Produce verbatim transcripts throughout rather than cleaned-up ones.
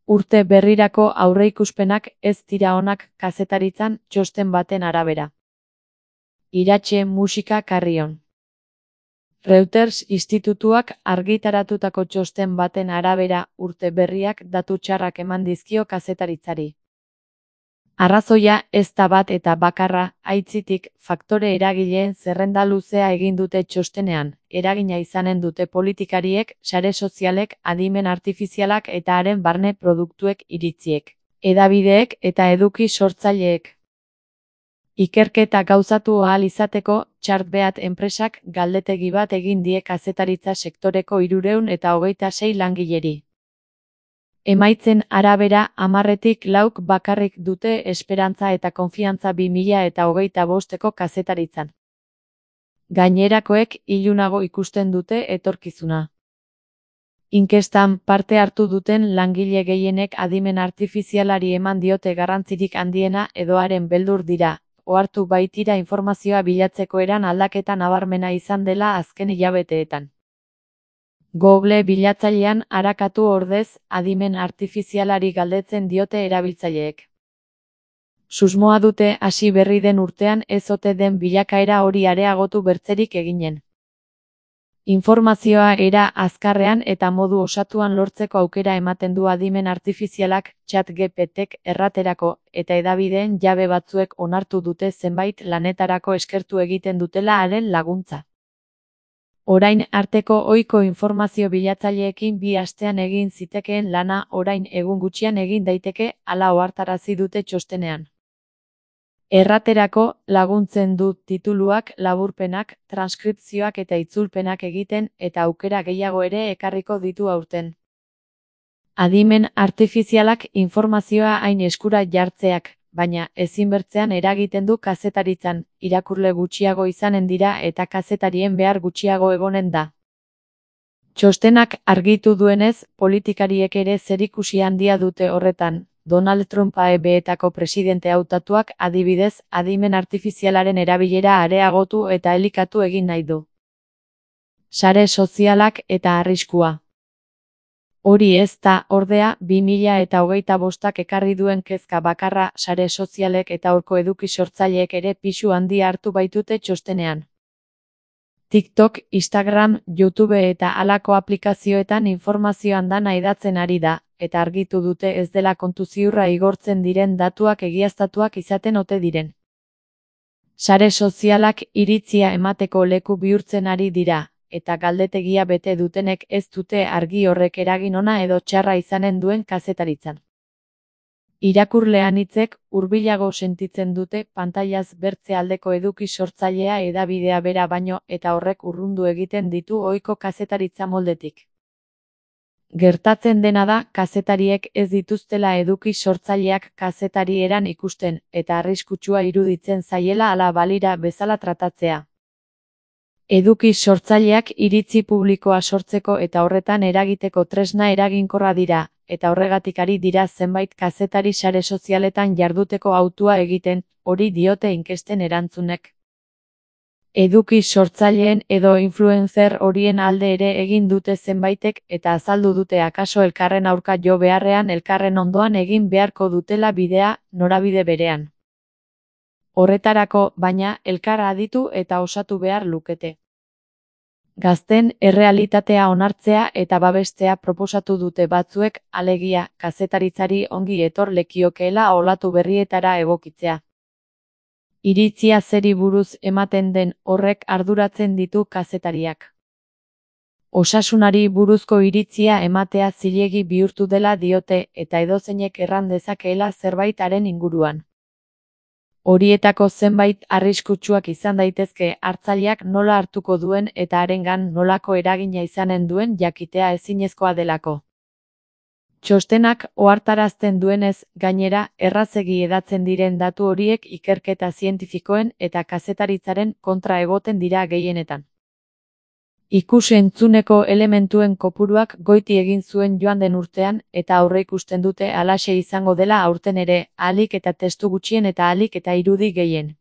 Urte berrirako aurreikuspenak ez dira onak kazetaritzan txosten baten arabera. Iratxe musika Carrion. Reuters institutuak argitaratutako txosten baten arabera urte berriak datu txarrak eman dizkio kazetaritzari. Arrazoia ez da bat eta bakarra, aitzitik, faktore eragileen zerrenda luzea egin dute txostenean, eragina izanen dute politikariek, sare sozialek, adimen artifizialak eta haren barne produktuek iritziek, hedabideek eta eduki sortzaileek. Ikerketa gauzatu ahal izateko, Chartbeat enpresak galdetegi bat egin die kazetaritza sektoreko hirurehun eta hogeita sei langileri. Emaitzen arabera, hamarretik lauk bakarrik dute esperantza eta konfiantza bi mila eta hogeita bosteko kazetaritzan. Gainerakoek ilunago ikusten dute etorkizuna. Inkestan parte hartu duten langile gehienek adimen artifizialari eman diote garrantzirik handiena edo haren beldur dira, ohartu baitira informazioa bilatzeko eran aldaketa nabarmena izan dela azken hilabeteetan. Google bilatzailean arakatu ordez, adimen artifizialari galdetzen diote erabiltzaileek. Susmoa dute hasi berri den urtean ez ote den bilakaera hori areagotu bertzerik eginen. Informazioa era azkarrean eta modu osatuan lortzeko aukera ematen du adimen artifizialak, ChatGPTek erraterako, eta hedabideen jabe batzuek onartu dute zenbait lanetarako eskertu egiten dutela haren laguntza. Orain arteko ohiko informazio bilatzaileekin bi astean egin zitekeen lana orain egun gutxian egin daiteke, hala ohartarazi dute txostenean. Erraterako, laguntzen du tituluak, laburpenak, transkripzioak eta itzulpenak egiten eta aukera gehiago ere ekarriko ditu aurten. Adimen artifizialak informazioa hain eskura jartzeak, baina ezinbertzean eragiten du kazetaritzan, irakurle gutxiago izanen dira eta kazetarien behar gutxiago egonen da. Txostenak argitu duenez, politikariek ere zerikusi handia dute horretan. Donald Trump A E B-etako presidente hautatuak adibidez, adimen artifizialaren erabilera areagotu eta elikatu egin nahi du. Sare sozialak eta arriskua. Hori ez da, ordea, bi mila eta hogeita bostak ekarri duen kezka bakarra, sare sozialek eta horko eduki sortzaileek ere pisu handia hartu baitute txostenean. TikTok, Instagram, YouTube eta halako aplikazioetan informazio andana hedatzen ari da, eta argitu dute ez dela kontu ziurra igortzen diren datuak egiaztatuak izaten ote diren. Sare sozialak iritzia emateko leku bihurtzen ari dira, eta galdetegia bete dutenek ez dute argi horrek eragin ona edo txarra izanen duen kazetaritzan. Irakurle anitzek hurbilago sentitzen dute pantailaz bertze aldeko eduki sortzailea hedabidea bera baino eta horrek urrundu egiten ditu ohiko kazetaritza moldetik. Gertatzen dena da, kazetariek ez dituztela eduki sortzaileak kazetari eran ikusten, eta arriskutsua iruditzen zaiela ala balira bezala tratatzea. Eduki sortzaileak iritzi publikoa sortzeko eta horretan eragiteko tresna eraginkorra dira, eta horregatik ari dira zenbait kazetari sare sozialetan jarduteko hautua egiten, hori diote inkesten erantzunek. Eduki sortzaileen edo influencer horien alde ere egin dute zenbaitek eta azaldu dute akaso elkarren aurka jo beharrean elkarren ondoan egin beharko dutela bidea, norabide berean. Horretarako, baina, elkar aditu eta osatu behar lukete. Gazten errealitatea onartzea eta babestea proposatu dute batzuek, alegia, kazetaritzari ongi etor lekiokeela olatu berrietara egokitzea. Iritzia zeri buruz ematen den horrek arduratzen ditu kazetariak. Osasunari buruzko iritzia ematea zilegi bihurtu dela diote eta edozeinek erran dezakeela zerbaitaren inguruan. Horietako zenbait arriskutsuak izan daitezke hartzaileak nola hartuko duen eta harengan nolako eragina izanen duen jakitea ezinezkoa delako. Txostenak ohartarazten duenez, gainera, errazegi hedatzen diren datu horiek ikerketa zientifikoen eta kazetaritzaren kontra egoten dira gehienetan. Ikus-entzuneko elementuen kopuruak goiti egin zuen joan den urtean eta aurreikusten dute halaxe izango dela aurten ere, ahalik eta testu gutxien eta ahalik eta irudi gehien.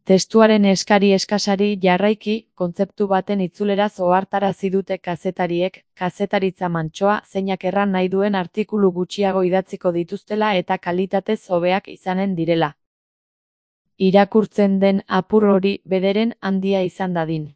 Testuaren eskari eskasari jarraiki, kontzeptu baten itzuleraz ohartarazi dute kazetariek, kazetaritza mantsoa zeinak erran nahi duen artikulu gutxiago idatziko dituztela eta kalitatez hobeak izanen direla. Irakurtzen den apur hori bederen handia izan dadin.